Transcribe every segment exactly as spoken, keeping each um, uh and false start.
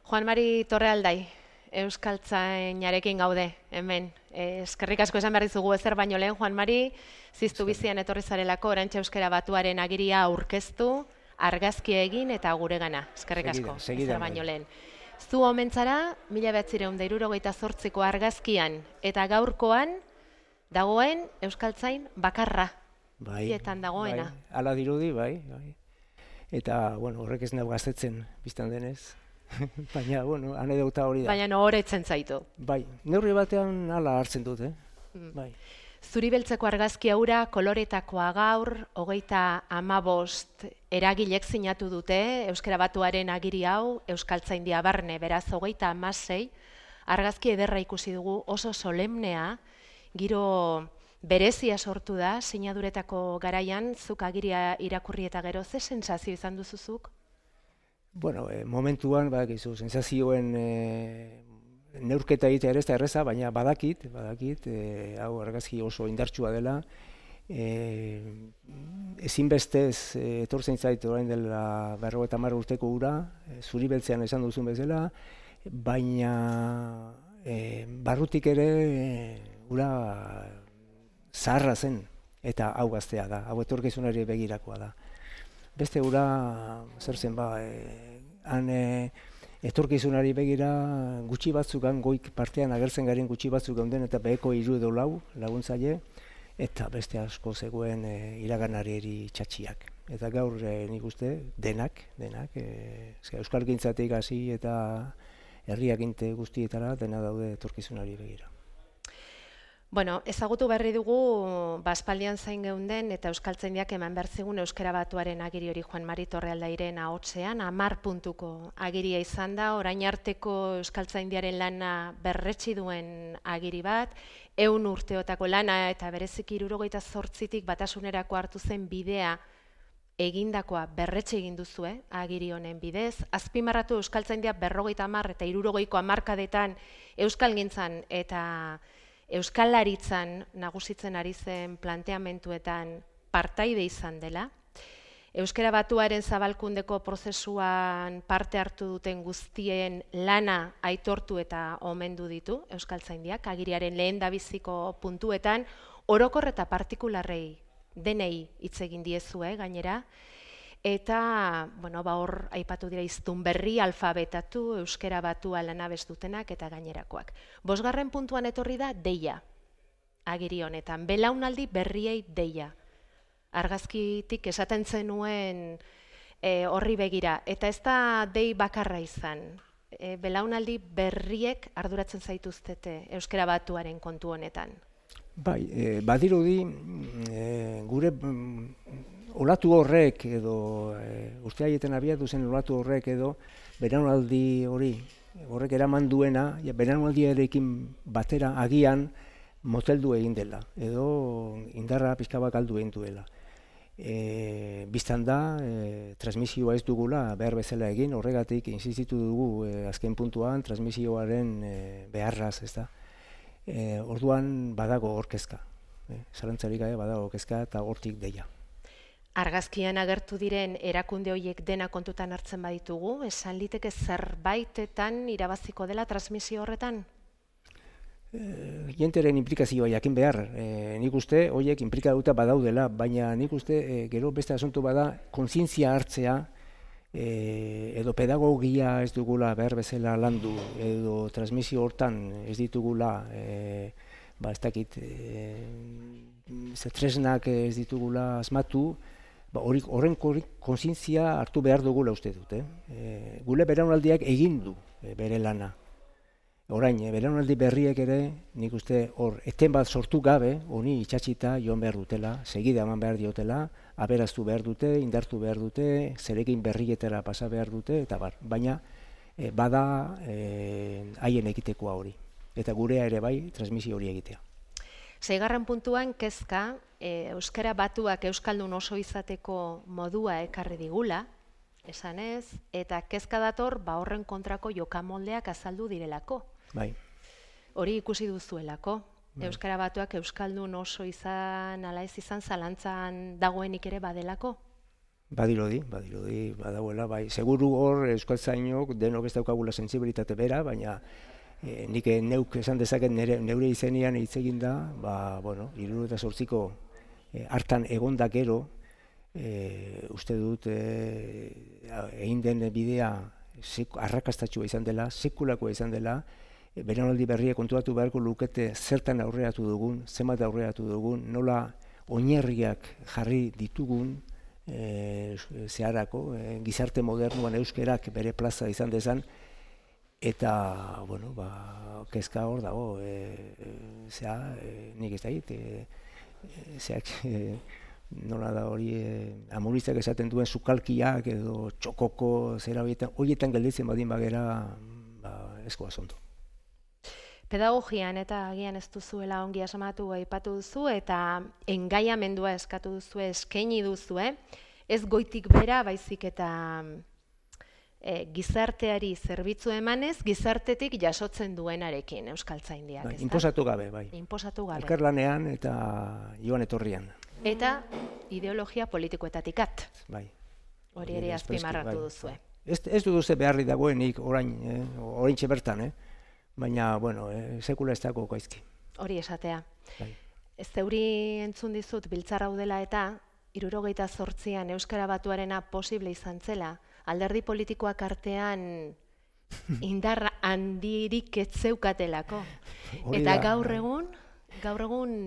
Juan Mari Torrealdai, Euskaltzainarekin gaude, hemen. Eskerrik asko esan behar dizugu ezer baino lehen, Juan Mari, ziztu bizian etorri zarelako, Orantxe Euskara Batuaren agiria aurkeztu, argazkia egin eta guregana. Eskerrik asko, ezer baino lehen. Zu omentzara, mila behatzireun da hirurogeita zortziko argazkian eta gaurkoan dagoen Euskaltzain bakarra. Bai, Bietan dagoena. bai, ala dirudi, bai, bai. Eta, bueno, horrek ez nago gaztetzen biztan denez. Baina, bueno, anedota hori da. Baina no horretzen zaitu. Bai, neurri batean ala hartzen dut, eh? Mm. Bai. Zuri beltzeko argazki hura koloretakoa gaur, hogeita hamabost eragilek sinatu dute, Euskara Batuaren agiri hau, Euskaltzaindia barne, beraz hogeita hamasei, argazki ederra ikusi dugu oso solemnea, giro berezia sortu da, sinaduretako garaian, zuk agiria irakurri eta gero, ze sensazio izan duzuzuk? Bueno, eh, momentuan, badakizu, sensazioen eh, neurketa egitea ere ez da erreza, baina badakit, badakit, eh, hau argazki oso indartsua dela, eh, ezinbestez eh, etortzen zait orain dela berrogeita hamar urteko ura, eh, zuri beltzean esan duzun bezala, baina eh, barrutik ere eh, ura zaharra zen, eta hau gaztea da, hau etorkizunari begirakoa da. Beste ura, zer zen ba, e, han e, etorkizunari begira gutxi batzuk, goik partean agertzen garen gutxi batzuk gauden eta beheko hiru edo lau laguntzaile, eta beste asko zegoen e, iraganari txatxiak. Eta gaur e, nik uste denak, denak, e, euskalgintzatik hasi eta herriaginte guztietara dena daude etorkizunari begira. Bueno, ezagutu berri dugu baspaldian zain geunden eta Euskaltzaindiak eman behar zigun Euskara Batuaren agiri hori Juan Mari Torrealdairen ahotsean, hamar puntuko agiria izan da, orain arteko Euskaltzaindiaren lana berretsi duen agiri bat, ehun urteotako lana eta bereziki hirurogeita zortzitik batasunerako hartu zen bidea egindakoa berretsi egin duzue, agiri honen bidez, azpimarratu Euskaltzaindia berrogeita hamar eta hirurogeiko hamarkadetan euskalgintzan eta Euskalaritzan nagusitzen ari zen planteamentuetan partaide izan dela. Euskara Batuaren zabalkundeko prozesuan parte hartu duten guztien lana aitortu eta omendu ditu Euskaltzaindiak, agiriaren lehendabiziko puntuetan, orokor eta partikularrei denei hitz egin diezue gainera, eta, bueno, ba hor aipatu dira hiztun berri, alfabetatu, Euskara Batua lanabez dutenak eta gainerakoak. Bosgarren puntuan etorri da deia, agiri honetan, belaunaldi berriei deia. Argazkitik esaten zenuen e, horri begira, eta ez da dei bakarra izan. E, belaunaldi berriek arduratzen zaituztete Euskara Batuaren kontu honetan. Bai, e, badirudi e, gure olatu horrek edo e, urte haietan abiatu zen olatu horrek edo belaunaldi hori horrek eraman duena, ja, belaunaldiarekin batera agian moteldu egin dela edo indarra pixka bat galdu egin duela. E, biztan da, e, transmisioa ez dugula behar bezala egin, horregatik insistitu dugu e, azken puntuan transmisioaren e, beharraz, ez da. E, orduan badago orkezka, e, zalantzarik gabe badago orkezka eta hortik deia. Argazkian agertu diren erakunde horiek dena kontutan hartzen baditugu, esan liteke zerbaitetan irabaziko dela transmisio horretan? E, jenteren implikazioa jakin behar, e, nik uste horiek implikatuta badaudela, baina nik uste e, gero beste asunto bada kontzientzia hartzea, E, edo pedagogia ez dugula behar bezala landu, edo transmisio hortan ez ditugula, e, ba ez dakit, e, tresnak ez ditugula asmatu, ba, horren kontzientzia hartu behar dugula uste dut. Eh? E, gure belaunaldiak egin du e, bere lana. Orain, e, belaunaldi berriek ere, nik uste hor, eten bat sortu gabe, honi itxatxita joan behar dutela, segida eman behar diotela, aberaztu behar dute, indartu behar dute, zerekin berrietara pasa behar dute, eta bar. Baina e, bada haien e, egitekoa hori. Eta gurea ere bai, transmisio hori egitea. Seigarren puntuan kezka, e, Euskara Batuak euskaldun oso izateko modua ekarri digula, esanez, eta kezka dator ba horren kontrako jokamoldeak azaldu direlako. Bai. Hori ikusi duzuelako. Bai. Euskara Batuak euskaldun oso izan, ala ez izan, zalantzan dagoenik ere badelako? Badirudi, badirudi, badagoela, bai. Seguru hor euskaltzainok denok ez daukagula sentsibilitate bera, baina e, nik neuk esan dezaket nere, neure izenean hitz egin da, ba, bueno, hirurogeita zortziko e, hartan egonda gero, e, uste dut e, egin den bidea arrakastatxua izan dela, sekulakoa izan dela, e, belaunaldi berria konturatu beharko lukete zertan aurreratu dugun, zenbat aurreratu dugun, nola oinarriak jarri ditugun, E, zeharako, e, gizarte modernuan euskerak bere plaza izan dezan, eta, bueno, ba, kezka hor dago, e, e, zea, e, nik ez da hit, e, e, zeak, e, nola da hori, e, amurizak esaten duen sukalkiak edo txokoko zera horietan, horietan gelditzen badin bagera, ba, eskoa zonto. Pedagogian eta agian ez duzuela ongi asmatu aipatu duzu eta engaiamendua eskatu duzu, eskaini duzu, ez goitik bera baizik eta e, gizarteari zerbitzu emanez, gizartetik jasotzen duenarekin euskaltzaindiak. Bai, inposatu gabe, bai. Inposatu gabe. Elkarlanean eta joan etorrian. Eta ideologia politikoetatik at. Bai. Hori ere azpimarratu bai. Duzue. Ez, ez duduze beharri dagoenik orain, eh, oraintxe bertan, eh? Baina, bueno, e, sekula ez dago gaizki. Hori esatea. Bai. Ez zeuri entzun dizut biltzar hau dela eta hirurogeita zortzian Euskara Batuarena posible izan zela, alderdi politikoak artean indar handirik ez zeukatelako. Eta gaur egun, gaur egun,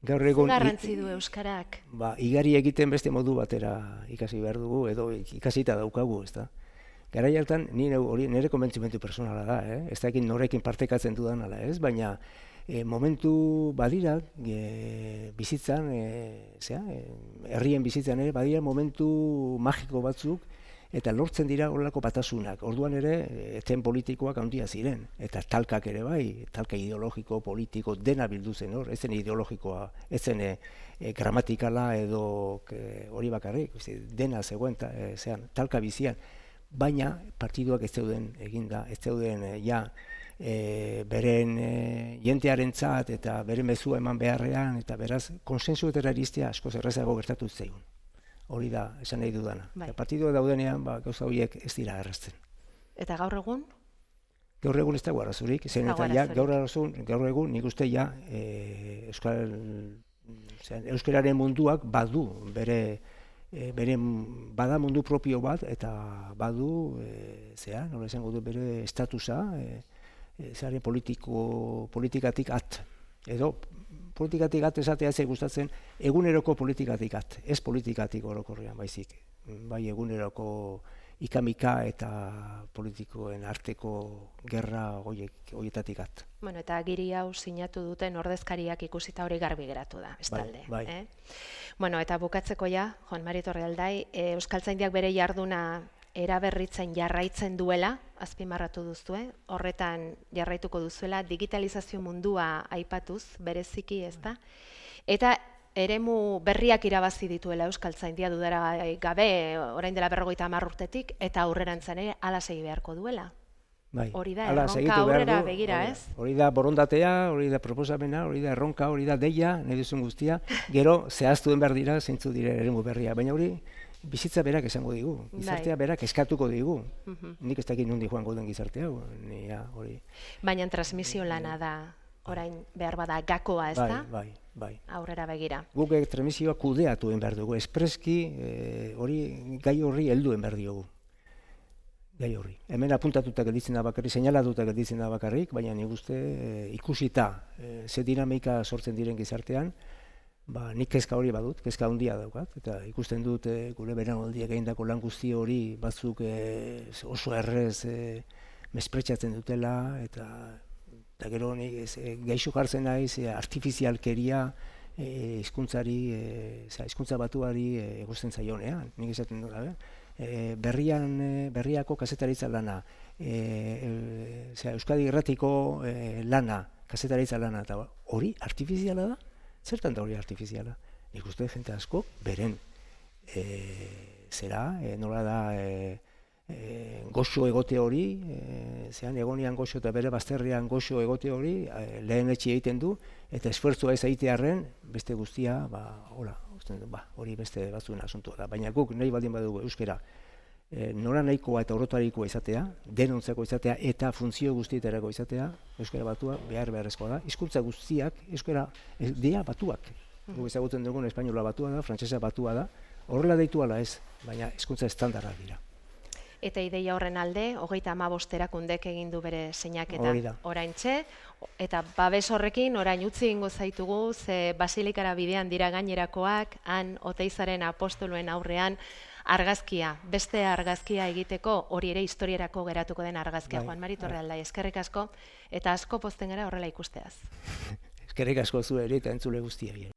gaur egun garrantzi du Euskarak? Ba, igari egiten beste modu batera ikasi behar dugu, edo ikasita daukagu, ez da? Garai hartan, nire, nire konbentzimentu personala da, eh? Ez da ekin norekin partekatzen dudan ala, ez? Baina e, momentu badira, e, bizitzan, e, zera, e, herrien bizitzan ere, badira momentu magiko batzuk, eta lortzen dira horrelako batasunak. Orduan ere, eten politikoak handia ziren, eta talkak ere bai, talka ideologiko, politiko, dena bildu zen hor, ez zen ideologikoa, ez zen e, e, gramatikala edo e, hori bakarrik, dena zegoen, ta, e, zean, talka bizian. Baina partiduak ez zeuden eginda, ez zeuden e, ja e, beren e, jentearentzat eta beren mezua eman beharrean, eta beraz konsensuetara iristea askoz errazago gertatu zaigun. Hori da, esan nahi dudana. Bai. Partiduak daudenean, ba, gauza horiek ez dira errazten. Eta gaur egun? Gaur egun ez dago arazurik, zen eta ja, gaur, arazun, gaur egun nik uste ja e, Euskal, euskararen munduak badu bere E, bere bada mundu propio bat eta badu e, zea, nola esango du bere estatusa e, e, zare politiko politikatik at edo politikatik at esatea ez gustatzen eguneroko politikatik at, ez politikatik orokorrean baizik, bai eguneroko ikamika eta politikoen arteko gerra hoiek hoietatik at. Bueno, eta agiri hau sinatu duten ordezkariak ikusita hori garbi geratu da, bestalde. Bai, bai. Eh? Bueno, eta bukatzeko ja, Juan Mari Torrealdai, e, Euskaltzaindiak bere jarduna eraberritzen jarraitzen duela, azpimarratu duzue, horretan jarraituko duzuela, digitalizazio mundua aipatuz, bereziki, ez da? Eta eremu berriak irabazi dituela Euskaltzaindia dudara gabe, orain dela berrogeita hamar urtetik, eta aurrerantzan ere hala segi beharko duela. Bai. Hori da, erronka aurrera begira, ez? Hori da borondatea, hori da proposamena, hori da erronka, hori da deia, nahi duzun guztia, gero zehaztu den behar dira, zeintzu dire eremu berria, baina hori bizitza berak esango digu, gizartea berak eskatuko digu. Nik ez dakit nondi joango den gizartea, hori. Baina transmisio lana da, orain behar bada gakoa, ez da? Bai, bai. Aurrera begira. Guk transmisioa kudeatu den behar dugu, espreski hori gai horri helduen behar diogu. Gai horri. Hemen apuntatuta gelditzen da bakarrik, seinalatuta gelditzen da bakarrik, baina nik uste e, ikusita e, ze dinamika sortzen diren gizartean, ba, nik kezka hori badut, kezka handia daukat, eta ikusten dut e, gure belaunaldiak egindako lan guzti hori batzuk e, oso errez e, mespretxatzen dutela, eta, eta gero nik e, gaixo jartzen naiz e, artifizialkeria hizkuntzari, e, hizkuntza batuari e, egosten zaionean, nik esaten dut, gabe? E, berrian, e, berriako kazetaritza lana, e, e, zera, Euskadi Irratiko e, lana, kazetaritza lana, eta hori artifiziala da? Zertan da hori artifiziala? Nik uste jente asko, beren, e, zera, e, nola da, e, e, goxo egote hori, e, zean egonian goxo eta bere bazterrean goxo egote hori, e, lehen etxi egiten du, eta esfuertzua ez egitearren, beste guztia, ba, hola, ikusten du, ba, hori beste batzuen asuntua da. Baina guk nahi baldin badugu euskara e, nora nahikoa eta orotarikoa izatea, denontzako izatea eta funtzio guztietarako izatea, euskara batua behar beharrezkoa da. Hizkuntza guztiak euskara e, dira batuak. Guk ezagutzen dugun espainola batua da, frantsesa batua da, horrela deitu ala ez, baina hizkuntza estandarrak dira. Eta ideia horren alde, hogeita hamabost erakundek egin du bere seinaketa oraintxe, eta babes horrekin orain utzi egingo zaitugu, ze Basilikara bidean dira gainerakoak, han Oteizaren apostoluen aurrean argazkia, beste argazkia egiteko, hori ere historiarako geratuko den argazkia, Juan Mari Torrealdai, eskerrik asko, eta asko pozten gara horrela ikusteaz. Eskerrik asko zueri eta entzule guztiei.